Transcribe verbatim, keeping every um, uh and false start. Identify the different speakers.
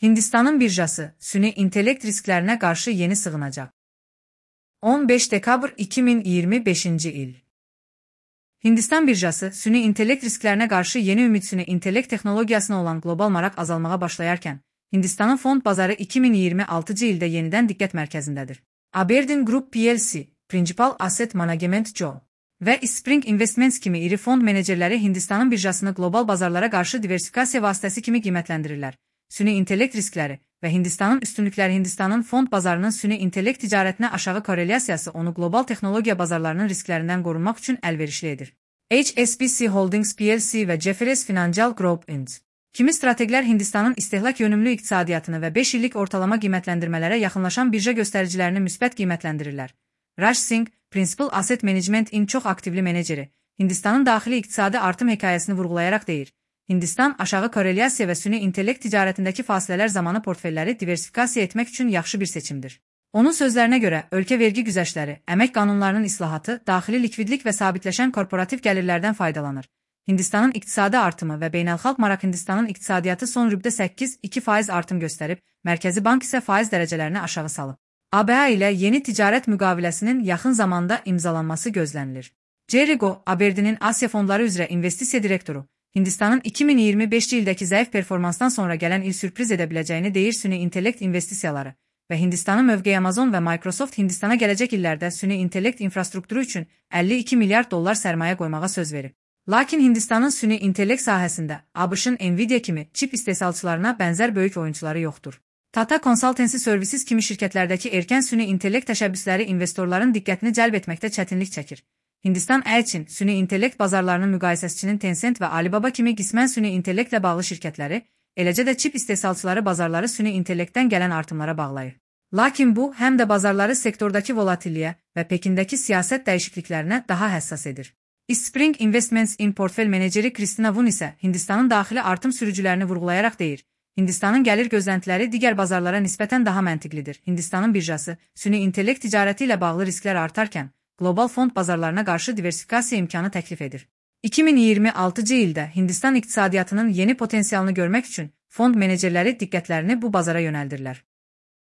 Speaker 1: Hindistanın birjası, süni intellekt risklerine karşı yeni sığınacak. on beş Dekabr iki bin yirmi beşinci il. Hindistan birjası, süni intellekt risklerine karşı yeni ümit süni intellekt teknolojisine olan global marak azalmağa başlayarken, Hindistanın fond bazarı iki bin yirmi altıncı ildə yenidən diqqət mərkəzindədir. Aberdeen Group P L C, Principal Asset Management Joe və Spring Investments kimi iri fond menecerləri Hindistanın birjasını global bazarlara qarşı diversifikasiya vasitəsi kimi qiymətləndirirlər. Süni intellekt riskləri və Hindistanın üstünlükləri Hindistanın fond bazarının süni intellekt ticarətinə aşağı korrelyasiyası onu global texnologiya bazarlarının risklərindən qorunmaq üçün əlverişli edir. H S B C Holdings P L C və Jefferies Financial Group Incorporated kimi strateqlər Hindistanın istehlak yönümlü iqtisadiyyatını və beş illik ortalama qiymətləndirmələrə yaxınlaşan birja göstəricilərini müsbət qiymətləndirirlər. Raj Singh, Principal Asset Management-in çox aktivli meneceri, Hindistanın daxili iqtisadi artım hekayəsini vurğulayaraq deyir. Hindistan aşağı korrelyasiya və süni intellekt ticarətindəki fasilələr zamanı portfelləri diversifikasiya etmək üçün yaxşı bir seçimdir. Onun sözlərinə görə, ölkə vergi güzəştləri, əmək qanunlarının islahatı, daxili likvidlik və sabitləşən korporativ gəlirlərdən faydalanır. Hindistanın iqtisadi artımı və beynəlxalq maraq Hindistanın iqtisadiyyatı son rübdə səkkiz nöqtə iki faiz artım göstərib, Mərkəzi Bank isə faiz dərəcələrini aşağı salıb. A B A ilə yeni ticarət müqaviləsinin yaxın zamanda imzalanması gözlənilir. Jerry Goh, Aberdeen'in Asiya fondları üzrə investisiya direktoru, Hindistanın iki min iyirmi beşinci ildəki zəif performansdan sonra gələn il sürpriz edə biləcəyini deyir süni intellekt investisiyaları və Hindistanın mövqeyi Amazon və Microsoft Hindistana gələcək illərdə süni intellekt infrastrukturu üçün əlli iki milyard dollar sərmayə qoymağa söz verib. Lakin Hindistanın süni intellekt sahəsində ABŞ-ın Nvidia kimi çip istehsalçılarına bənzər böyük oyunçuları yoxdur. Tata Consultancy Services kimi şirkətlərdəki erkən süni intellekt təşəbbüsləri investorların diqqətini cəlb etməkdə çətinlik çəkir. Hindistan Elçin, süni intellekt bazarlarının müqayisəçisinin Tencent və Alibaba kimi qismən süni intellektlə bağlı şirkətləri, eləcə də çip istehsalçıları bazarları süni intellektdən gələn artımlara bağlayır. Lakin bu, həm də bazarları sektordakı volatilliyə və Pekindəki siyasət dəyişikliklərinə daha həssas edir. Spring Investments-in portfel meneceri Kristina Vun isə Hindistanın daxili artım sürücülərini vurğulayaraq deyir. Hindistanın gəlir gözləntiləri digər bazarlara nisbətən daha məntiqlidir. Hindistanın birjası, süni intellekt ticarəti ilə bağlı risklər artarkən, global fond bazarlarına qarşı diversifikasiya imkanı təklif edir. iki min iyirmi altıncı ildə Hindistan iqtisadiyyatının yeni potensialını görmək üçün fond menecerləri diqqətlərini bu bazara yönəldirlər.